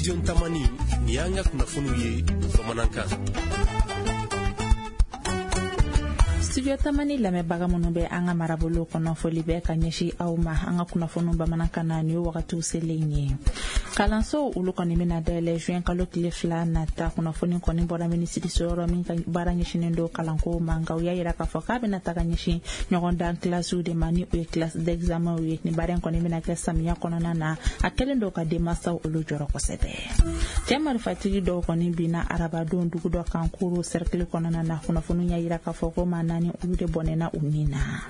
Studio Tamani, nin y'an ka kunnafoniw ye bamanankan. Studio Tamani lamɛnbaga minnu bɛ an ka marabolo kɔnɔ, foli bɛ ka ɲɛsin aw ma. An ka kunnafoniw bamanankan na, nin ye wagatiw selen ye. Kalansow olu kɔni bɛna dayɛlɛ juin kalo tile 2 nata. Kunnafoni kɔni bɔra minisiriso yɔrɔ min ka baara ɲɛsinnen don kalanko ma, nka u y'a yira k'a fɔ k'a bɛna taga ɲɛsin ɲɔgɔndan kilasiw de ma, ni o ye classe d'examen ye. Nin baara in kɔni bɛna kɛ samiya kɔnɔna na. A kɛlen don ka denmansaw olu jɔrɔ kosɛbɛ. Cɛ marifatigi dɔw kɔni binna arabadon dugu dɔ kan Koro cercle kɔnɔna na. Kunnafoni y'a yira k'a fɔ ko maa 4 olu de bɔnɛna u ni na.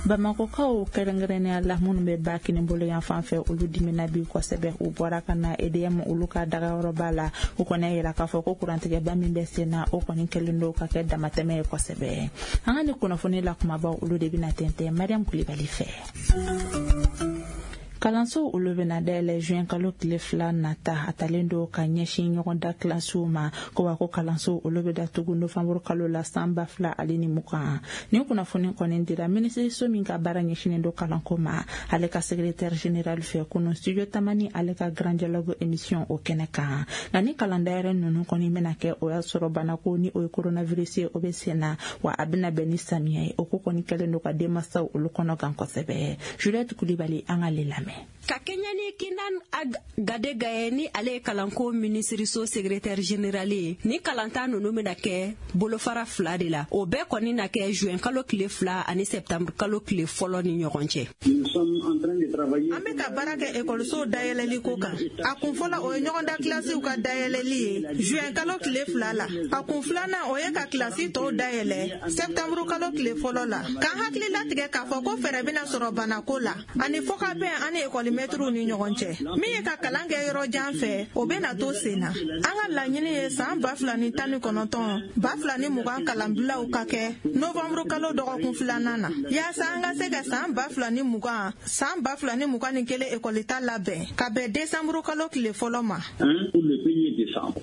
Bamakɔkaw, kɛrɛnkɛrɛnnenya la minnu bɛ ba kinibolo yan fan fɛ, olu dimina bi kosɛbɛ. U bɔra ka na EDM olu ka dagayɔrɔba la. U kɔni y'a yira k'a fɔ ko kurantigɛba min bɛ sen na, o kɔni kɛlen don ka kɛ damatɛmɛ ye kosɛbɛ. An ka nin kunnafoni la kumabaw olu de bɛna tɛntɛn Mariam Kulibali fɛ. Kalansow olu bɛna dayɛlɛ juin kalo tile 2 nata. A talen don ka ɲɛsin ɲɔgɔnda kilasiw ma ko wa ko kalansow olu bɛ datugu novanburu kalo la san 2020. Nin kunnafoni kɔni dira minisiriso min ka baara ɲɛsinnen don kalanko ma, ale ka secrétaire général fɛ kunun Studio Tamani ale ka Grand Dialogue émission o kɛnɛ kan. Nka ni kalan dayɛlɛ ninnu kɔni bɛna kɛ, o y'a sɔrɔ banako ni o ye coronavirus ye, o bɛ sen na, wa a bɛna bɛn ni samiya ye. O ko kɔni kɛlen don ka denmansaw olu kɔnɔ gan kosɛbɛ. Juliette Kulibali, an k'ale lamɛn. Ka kɛɲɛ ni Kinan Ag Gadega ye, ni ale ye kalanko minisiriso secrétaire général ye, ni kalanta ninnu bɛna kɛ bolofara 2 de la. O bɛɛ kɔni na kɛ juin kalo tile 2 ani septembre kalo tile 1 ni ɲɔgɔn cɛ. An bɛ ka baara kɛ ekɔlisow dayɛlɛli ko kan. A kun fɔlɔ, o ye ɲɔgɔnda kilasiw ka dayɛlɛli ye juin kalo tile 2 la. A kun filanan, o ye ka kilasi tɔw dayɛlɛ septembre kalo tile 1 la, k'an hakili latigɛ k'a fɔ ko fɛɛrɛ bɛna sɔrɔ banako la ani fɔkabɛn ani ekɔlimɛtiriw ni ɲɔgɔn cɛ. Min ye ka kalan kɛ yɔrɔ jan fɛ, o bɛna to sen na. An ka laɲini ye san 2019 2020 kalanbilaw ka kɛ novanburu kalo dɔgɔkun filanan na, yaasa an ka se ka san 2020 san 2021 ekɔlita labɛn ka bɛn desanburu kalo tile 1 ma.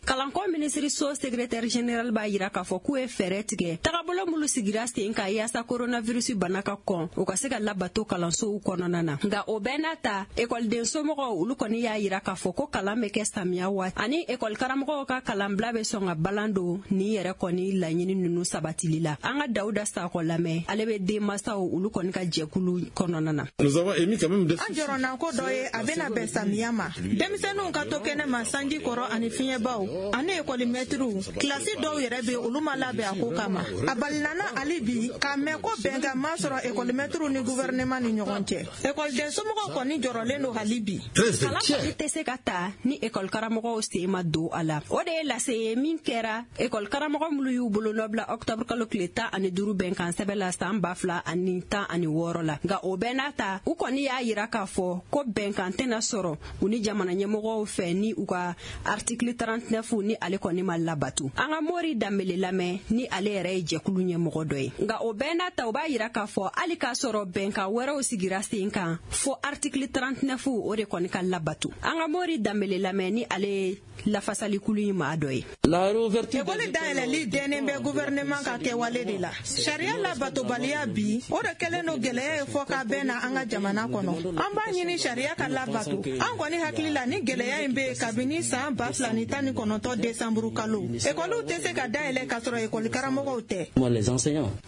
Kalanko minisiriso secrétaire général b'a yira k'a fɔ k'u ye fɛɛrɛ tigɛ tagabolo minnu sigira sen kan yaasa coronavirus bana ka kɔn, o ka se ka labato kalansow kɔnɔna na. Nka o bɛɛ n'a ta, ekɔliden somɔgɔw olu kɔni y'a yira k'a fɔ ko kalan bɛ kɛ samiya waati ani ekɔlikaramɔgɔw ka kalanbila bɛ sɔn ka balan don nin yɛrɛ kɔni laɲini ninnu sabatili la. An ka Dawuda Sakɔ lamɛn, ale bɛ denmansaw olu kɔni ka jɛkulu kɔnɔna na. An jɔrɔnako dɔ ye, a bɛna bɛn samiya ma, denmisɛnninw ka to kɛnɛ ma sanji kɔrɔ ani fiɲɛbaw ani ekɔlimɛtiriw. Kilasi dɔw yɛrɛ bɛ, olu ma labɛn a ko kama. A balinana hali bi k'a mɛn ko bɛnkan ma sɔrɔ ekɔlimɛtiriw ni gouvernement ni ɲɔgɔn cɛ. Ekɔliden somɔgɔw kɔni jɔrɔlen don hali bi. Kalan kɔni tɛ se ka ta ni ekɔlikaramɔgɔw sen ma don a la. O de ye lase ye min kɛra ekɔlikaramɔgɔ minnu y'u bolonɔ bila octobre kalo tile 15 bɛnkan sɛbɛn la san 2016 la. Nka o bɛɛ n'a ta, u kɔni y'a yira k'a fɔ ko bɛnkan tɛna sɔrɔ u ni jamana ɲɛmɔgɔw fɛ ni u ka article 39 ni ale kɔni ma labatu. An ka Mori Danbele lamɛn, ni ale yɛrɛ ye jɛkulu ɲɛmɔgɔ dɔ ye. Nka o bɛɛ n'a ta, u b'a yira k'a fɔ hali k'a sɔrɔ bɛnkan wɛrɛw sigira sen kan, fo article 39 o de kɔni ka labatu. An ka Mori Danbele lamɛn, ni ale ye lafasalikulu in maa dɔ ye. Ekɔli dayɛlɛli dɛnnen bɛ gouvernement ka kɛwale de la. Sariya labatobaliya bi, o de kɛlen don gɛlɛya ye fɔ ka bɛn na an ka jamana kɔnɔ. An b'a ɲini sariya ka labato. An kɔni hakili la, ni gɛlɛya in bɛ yen kabini san 2019 desanburu kalo. Ekɔliw tɛ se ka dayɛlɛ k'a sɔrɔ ekɔli karamɔgɔw tɛ.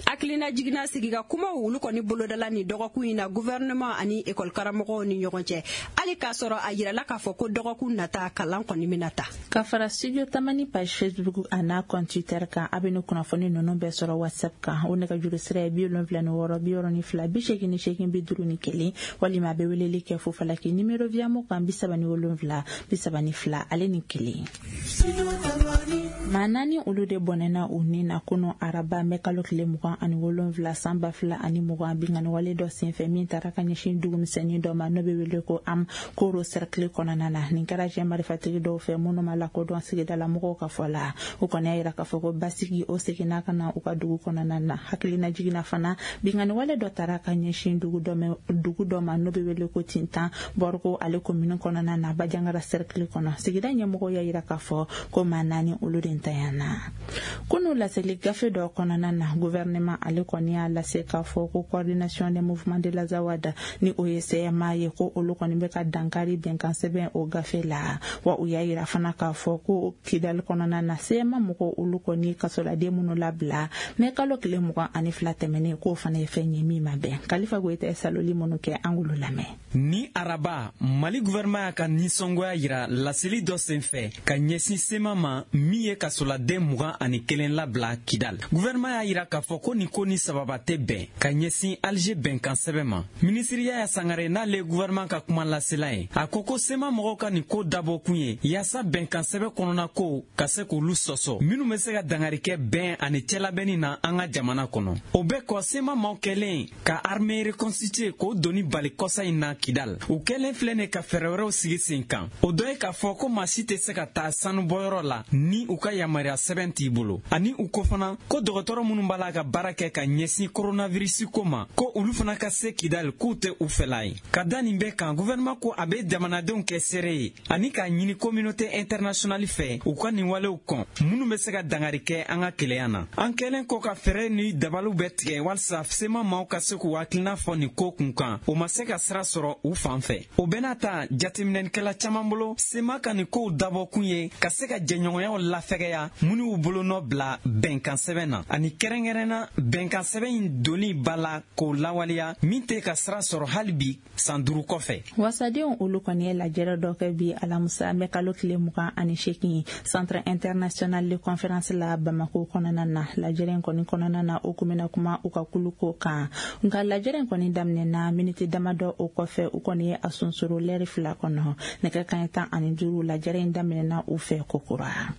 Hakilina jiginna sigi ka kumaw olu kɔni bolodala nin dɔgɔkun in na gouvernement ani ekɔli karamɔgɔw ni ɲɔgɔn cɛ, hali k'a sɔrɔ a yirala k'a fɔ ko dɔgɔkun nata kalan kɔni bɛna ta. Ka fara Studio Tamani page Facebook a n'a compte Twitter kan, a bɛ ni kunnafoni ninnu bɛɛ sɔrɔ WhatsApp kan. O nɛgɛjuru sira ye 76 62 88 51, walima a bɛ weleli kɛ fufalaki numéro Viamo kan 37 32 ale ni 1. Maa 4 olu de bɔnɛna u ni na kunu araba mɛ kalo tile 27 san 2020, binkanni wale dɔ senfɛ min taara ka ɲɛsin dugumisɛnnin dɔ ma, n'o bɛ wele ko Am Koro cercle kɔnɔna na. Nin kɛra cɛ marifatigi dɔw fɛ minnu ma lakodɔn sigidala mɔgɔw ka fɔ la. U kɔni y'a yira k'a fɔ ko basigi o seginna ka na u ka dugu kɔnɔna na. Hakilina jiginna fana, binkanni wale dɔ taara ka ɲɛsin dugu dɔ ma, n'o bɛ wele ko Tintan Bɔriko ale commune kɔnɔna na, Bajangara cercle kɔnɔ. Sigida ɲɛmɔgɔw y'a yira k'a fɔ ko maa 4 olu de kelen tanyana. Kunu laseli gafe dɔ kɔnɔna na, gouvernement ale kɔni y'a lase k'a fɔ ko coordination des mouvements de l'Azawad, ni o ye CMA ye, ko olu kɔni bɛ ka dankari bɛnkan sɛbɛn o gafe la. Wa u y'a yira fana k'a fɔ ko Kidali kɔnɔna na, CMA mɔgɔw olu kɔni kasoladen minnu labila mɛ kalo tile 22 tɛmɛnen, k'o fana ye fɛn ye min ma bɛn. Kalifa Goyita ye saloli minnu kɛ, an k'olu lamɛn. Ni araba, Mali gouvernement y'a ka nisɔngoya yira laseli dɔ senfɛ ka ɲɛsin CMA ma min ye kasoladen 21 labila Kidal. Gouvernement y'a yira k'a fɔ ko nin ko ni sababa tɛ bɛn ka ɲɛsin Alger bɛnkan sɛbɛn ma. Minisiri Yaya Sangare, n'ale ye gouvernement ka kuma lasela ye, a ko ko CMA mɔgɔw ka nin ko dabɔkun ye yaasa bɛnkan sɛbɛn kɔnɔna ko ka se k'olu sɔsɔ, minnu bɛ se ka dangari kɛ bɛn ani cɛlabɛnni na an ka jamana kɔnɔ. O bɛɛ kɔ, CMA maaw kɛlen ka armée reconstituée k'o doni bali kɔsa in na Kidal, u kɛlen filɛ nin ka fɛɛrɛ wɛrɛw sigi sen kan. O dɔ ye k'a fɔ ko maa si tɛ se ka taa sanubɔyɔrɔ la ni u ka yamaruya sɛbɛn t'i bolo, ani u ko fana ko dɔgɔtɔrɔ minnu b'a la ka baara kɛ ka ɲɛsin coronavirus ko ma, ko olu fana ka se Kidal, k'u tɛ u fɛla ye. Ka da nin bɛɛ kan, gouvernement ko a bɛ jamanadenw kɛ seere ye ani k'a ɲini communauté internationale fɛ u ka nin walew kɔn minnu bɛ se ka dangari kɛ an ka kelenya na. An kɛlen kɔ ka fɛɛrɛ ni dabaliw bɛɛ tigɛ walisa CMA maaw ka se k'u hakilina fɔ nin ko kun kan, o ma se ka sira sɔrɔ u fan fɛ. O bɛɛ n'a ta, jateminɛlikɛla caman bolo, CMA ka nin kow dabɔkun ye ka se ka jɛɲɔgɔnyaw lafɛgɛya minnu y'u bolonɔ bila bɛnkan sɛbɛn na, ani kɛrɛnkɛrɛnna bɛnkan sɛbɛn in donni ba la k'o lawaleya min tɛ ka sira sɔrɔ hali bi san 5 kɔfɛ. Wasadenw olu kɔni ye lajɛrɛ dɔ kɛ bi alamusa mɛ kalo tile 28 Centre international de conférence la Bamako kɔnɔna na. Lajɛrɛ in kɔni kɔnɔna na, o kun bɛna kuma u ka kuluko kan. Nka lajɛrɛ in kɔni daminɛna miniti damadɔ o kɔfɛ, u kɔni ye a sonsoro lɛri 2 kɔnɔ. Nɛgɛ kanɲɛ 15, lajɛrɛ in daminɛna u fɛ kokura.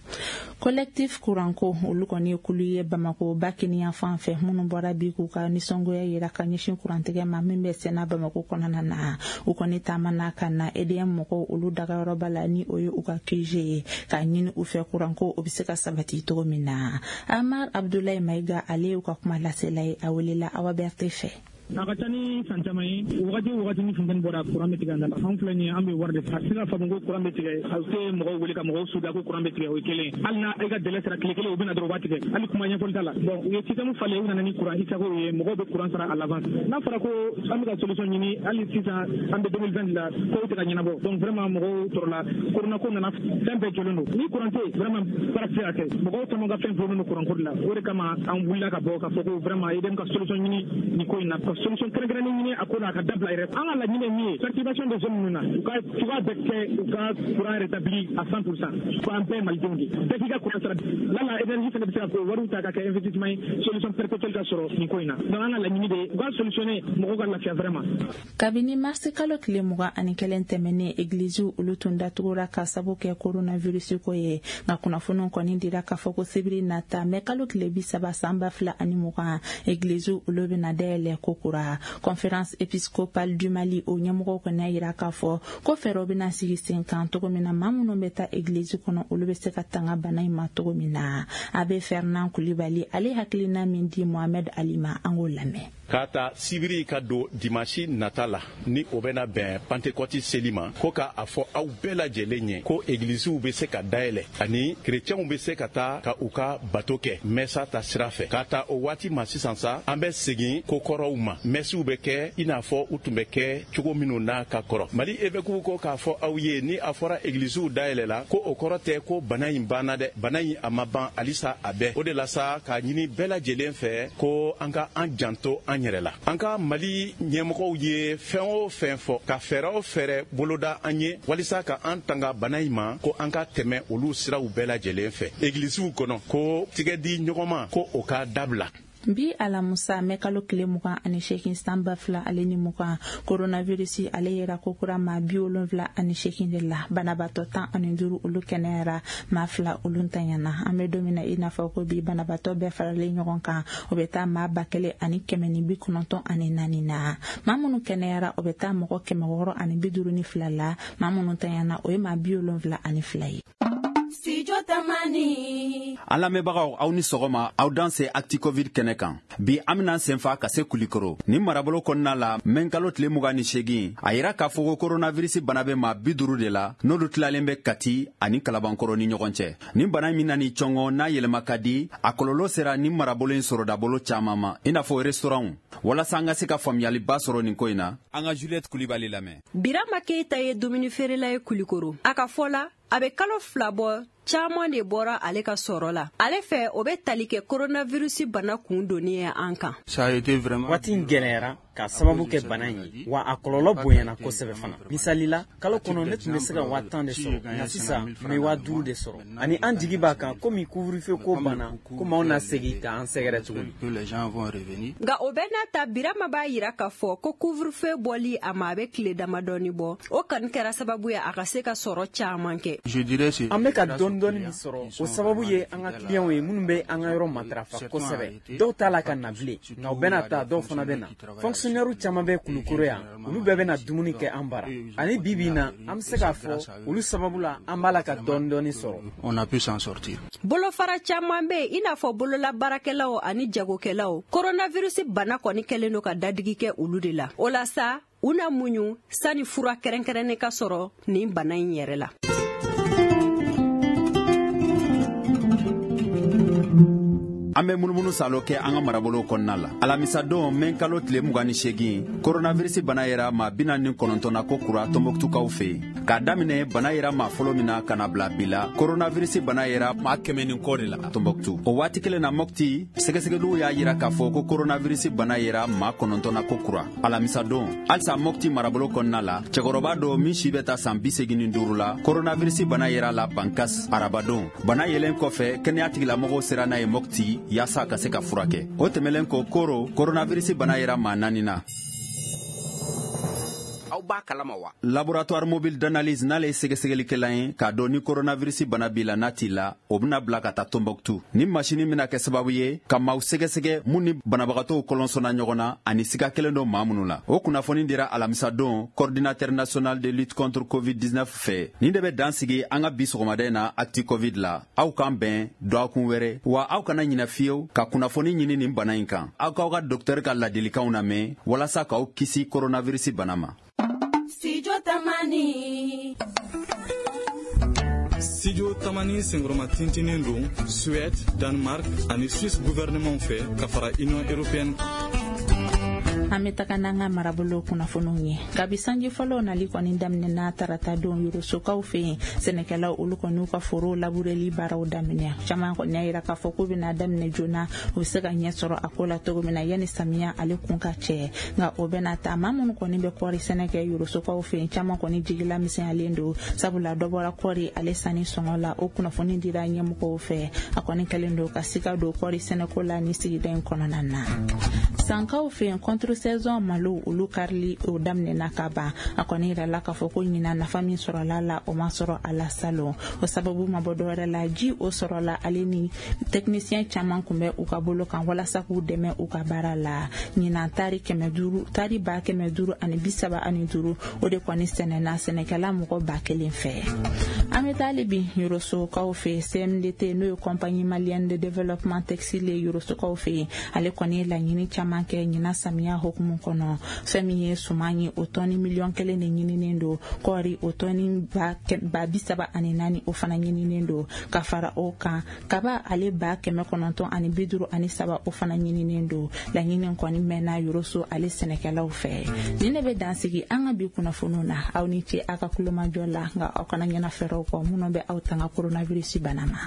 Collectif kuranko olu kɔni ye kulu ye Bamako ba kiniyan fan fɛ minnu bɔra bi k'u ka nisɔngoya yira ka ɲɛsin kurantigɛ ma min bɛ senna Bamako kɔnɔna na. U kɔni taamana ka na EDM mɔgɔw olu dagayɔrɔba la, ni o ye u ka QG ye, k'a ɲini u fɛ kuranko o bɛ se ka sabati cogo min na. Amar Abdoulaye Maïga, ale y'u ka kuma lasela ye, a welela Awa Berthe fɛ. A ka ca ni san caman ye, wagati o wagati ni funteni bɔra, kuran bɛ tigɛ an da la. Anw filɛ nin ye, an bɛ wari de sara. A tɛ se ka faamu ko kuran bɛ tigɛ, a tɛ mɔgɔw wele ka mɔgɔw suda ko kuran bɛ tigɛ, o ye kelen. Hali n'a e ka délai sera tile kelen, u bɛ na dɔrɔn u b'a tigɛ, hali kuma ɲɛfɔli t'a la. Bon, u ye système falen, u nana ni kuran isago ye, mɔgɔw bɛ kuran sara à l'avance. N'a fɔra ko an bɛ ka solution ɲini, hali sisan an bɛ 2020 la, kow tɛ ka ɲɛnabɔ. Donc vraiment mɔgɔw tɔɔrɔla, corona ko nana, fɛn bɛɛ jɔlen don. Ni kuran tɛ yen, vraiment baara tɛ se ka kɛ. Mɔgɔw caman ka fɛn gulonnen don kuran ko de la. O de kama an wulila ka bɔ ka fɔ ko vraiment EDM ka solution ɲini nin ko in na, ka solution kɛrɛnkɛrɛnnen ɲini a ko la, a ka dabila yɛrɛ. An ka laɲini ye min ye, perturbation de zone ninnu na, u ka cogoya bɛɛ kɛ u ka courant rétabli à 100%. Ko an bɛɛ ye malidenw de ye, bɛɛ k'i ka courant sara. Lala énergie fana bɛ se ka k'o wariw ta ka kɛ investissement ye, solution perpétuelle ka sɔrɔ nin ko in na. Donc an ka laɲini de ye u ka solutionner, mɔgɔw ka lafiya vraiment. Kabini marisi kalo tile 21 tɛmɛnen, egiliziw olu tun datugura ka sabu kɛ coronavirus ko ye. Nka kunnafoniw kɔni dira k'a fɔ ko sibiri nata mɛ kalo tile 30 san 2020, egiliziw olu bɛna dayɛlɛ ko kura. Conférence épiscopale du Mali o ɲɛmɔgɔw kɔni y'a yira k'a fɔ ko fɛɛrɛw bɛna sigi sen kan cogo min na maa minnu bɛ taa egilizi kɔnɔ, olu bɛ se ka tanga bana in ma cogo min na. Abbé Fernand Kulibali, ale hakilina min di Mohamed Ali ma, an k'o lamɛn. K'a ta sibiri ka don dimasi nata la, ni o bɛna bɛn Pantekɔti seli ma, ko k'a fɔ aw bɛɛ lajɛlen ye ko egiliziw bɛ se ka dayɛlɛ ani kerecɛnw bɛ se ka taa ka u ka bato kɛ mɛsa ta sira fɛ. K'a ta o waati ma sisan sa, an bɛ segin ko kɔrɔw ma, mɛsiw bɛ kɛ i n'a fɔ u tun bɛ kɛ cogo minnu na ka kɔrɔ. Mali évêques ko k'a fɔ aw ye, ni a fɔra egiliziw dayɛlɛla, ko o kɔrɔ tɛ ko bana in banna dɛ. Bana in a ma ban halisa, a bɛɛ o de la sa k'a ɲini bɛɛ lajɛlen fɛ ko an ka an janto an yɛrɛ la. An ka Mali ɲɛmɔgɔw ye fɛn o fɛn fɔ, ka fɛɛrɛ o fɛɛrɛ boloda an ye walisa ka an tanga bana in ma, ko an ka tɛmɛ olu siraw bɛɛ lajɛlen fɛ. Egilisiw kɔnɔ, ko tigɛ di ɲɔgɔn ma, ko o ka dabila. Bi alamusa mɛ kalo tile 28 san 2020, coronavirus ale yera kokura maa 78 de la. Banabaatɔ 15 olu kɛnɛyara, maa 2 olu ntanyana. An bɛ don min na i n'a fɔ ko bi, banabaatɔ bɛɛ faralen ɲɔgɔn kan, o bɛ taa maa 1194 na. Maa minnu kɛnɛyara, o bɛ taa mɔgɔ 652 la. Maa minnu ntanyana, o ye maa 72 ye. Studio. Tamani. An lamɛnbagaw, aw ni sɔgɔma, aw dan se Actu Covid kɛnɛ kan. Bi an bɛna senfa ka se Kulikoro. Ni marabolo kɔnɔna la, mɛn kalo tile 28, a yira k'a fɔ ko coronavirus bana bɛ maa 50 de la, n'olu tilalen bɛ Kati ani Kalabankɔrɔ ni ɲɔgɔn cɛ. Nin bana min nani cɔngɔ n'a yɛlɛma ka di, a kɔlɔlɔ sera ni marabolo in sɔrɔdabolo caman ma, i n'a fɔ restaurantw. Walasa an ka se ka faamuyaliba sɔrɔ nin ko in na, an ka Juliette Kulibali lamɛn. Birama Keita ye dumuni feerela ye Kulikoro. A ka fɔ la, a bɛ kalo 2 bɔ, caman de bɔra ale ka sɔrɔ la. Ale fɛ, o bɛ tali kɛ coronavirus bana kun donni ye an kan. Waati in gɛlɛyara k'a sababu kɛ bana in ye, wa a kɔlɔlɔ bonyana kosɛbɛ fana. Misali la, kalo kɔnɔ ne tun bɛ se ka 10,000 de sɔrɔ, nka sisan n bɛ 5,000 de sɔrɔ. Ani an jigi b'a kan komi couvre-feu ko banna, komi anw na segin k'an sɛgɛrɛ tuguni. Nka o bɛɛ n'a ta, Birama b'a yira k'a fɔ ko couvre-feu bɔli a ma, a bɛ tile damadɔni bɔ, o kɔni kɛra sababu ye a ka se ka sɔrɔ caman kɛ. An bɛ ka dɔɔni dɔɔni min sɔrɔ, o sababu ye an ka kiliyanw ye minnu bɛ an ka yɔrɔ matarafa kosɛbɛ. Dɔw t'a la ka na bilen, nka u bɛna taa, dɔw fana bɛ na. Fonctionnaire caman bɛ Kulukoro yan, olu bɛɛ bɛna dumuni kɛ an bara. Ani bi bi in na, an bɛ se k'a fɔ olu sababu la an b'a la ka dɔɔni dɔɔni sɔrɔ. Bolofara caman bɛ yen, i n'a fɔ bololabaarakɛlaw ani jagokɛlaw. Coronavirus bana kɔni kɛlen don ka dadigi kɛ olu de la. O la sa, u na muɲu sani fura kɛrɛnkɛrɛnnen ka sɔrɔ nin bana in yɛrɛ la. An bɛ munumunu salo kɛ an ka marabolo kɔnɔna la. Alamisadon, mɛn kalo tile 28, coronavirus bana yera maa 49 na ko kura Tɔnbɔkutukaw fɛ yen. K'a daminɛ bana yera maa fɔlɔ min na ka na bila bi la, coronavirus bana yera maa 100 ni kɔ de la Tɔnbɔkutu. O waati kelen na, Mɔpti, sɛgɛsɛgɛliw y'a yira k'a fɔ ko coronavirus bana yera maa 9 na ko kura alamisadon. Halisa Mɔpti marabolo kɔnɔna la, cɛkɔrɔba dɔ min si bɛ taa san 85 la, coronavirus bana yera la Bankas arabadon. Bana yelen kɔfɛ, kɛnɛya tigilamɔgɔw sera n'a ye Mɔpti yaasa ka se ka furakɛ. O tɛmɛlen kɔ, Koro, coronavirus bana yera maa 4 na. Aw b'a kalama wa? Laboratoire mobile d'analyse, n'ale ye sɛgɛsɛgɛlikɛla ye k'a dɔn ni coronavirus bana b'i la n'a t'i la, o bɛna bila ka taa Tombouctou. Ni masini bɛna kɛ sababu ye ka maaw sɛgɛsɛgɛ mun ni banabagatɔw kɔlɔnsɔnna ɲɔgɔn na ani siga kelen don maa minnu la. O kunnafoni dira alamisadon coordinateur national de lutte contre COVID-19 fɛ. Nin de bɛ dan sigi an ka bi sɔgɔmada in na Actu Covid la. Aw k'an bɛn dɔgɔkun wɛrɛ, wa aw kana ɲinɛ fiyewu ka kunnafoni ɲini nin bana in kan. Aw k'aw ka docteur ka ladilikanw lamɛn walasa k'aw kisi coronavirus bana ma. Studio Tamani. Studio Tamani senkɔrɔma tintinen don Suède, Danemark ani Suisse gouvernement fɛ ka fara Union européenne. An bɛ taga n'an ka marabolo kunnafoniw ye. Kabi sanji fɔlɔw nali kɔni daminɛna tarata don Yorosokaw fɛ yen, sɛnɛkɛlaw olu kɔni y'u ka forow labureli baaraw daminɛ. Caman kɔni y'a yira k'a fɔ k'u bɛna daminɛ joona, u bɛ se ka ɲɛ sɔrɔ a ko la cogo min na yanni samiya ale kun ka cɛ. Nka o bɛna ta, maa minnu kɔni bɛ kɔɔri sɛnɛ kɛ Yorosokaw fɛ yen, caman kɔni jigila misɛnyalen don, sabula dɔ bɔra kɔɔri ale sanni sɔngɔ la. O kunnafoni dira ɲɛmɔgɔw fɛ. A kɔni kɛlen don ka siga don kɔɔri sɛnɛko la ni sigida in kɔnɔna na. Sankaw fɛ yen, contre saison malo olu karili o daminɛna ka ban. A kɔni yirala k'a fɔ ko ɲinan nafa min sɔrɔla la, o ma sɔrɔ a la salon. O sababu ma bɔ dɔwɛrɛ la, ji o sɔrɔla ale ni technicien caman kun bɛ u ka bolo kan walasa k'u dɛmɛ u ka baara la. Ɲinan tari 500, tari 535, o de kɔni sɛnɛna sɛnɛkɛla mɔgɔ 1000 fɛ. An bɛ taa hali bi Yorosokaw fɛ, CMDT n'o ye Compagnie malienne de développement textile ye Yorosokaw fɛ yen, ale kɔni ye laɲini caman kɛ ɲinan samiya hukumu kɔnɔ. Fɛn min ye suman ye, o tɔni 1 million de ɲininen don. Kɔɔri o tɔni 34,000 o fana ɲininen don. Ka fara o kan, kaba ale 953 o fana ɲininen don. Laɲini kɔni mɛnna Yoroso ale sɛnɛkɛlaw fɛ. Nin de bɛ dansigi an ka bi kunnafoniw na. Aw ni ce aw ka kulomajɔ la, nka aw kana ɲɛna fɛɛrɛw kɔ minnu bɛ aw tanga coronavirus bana ma.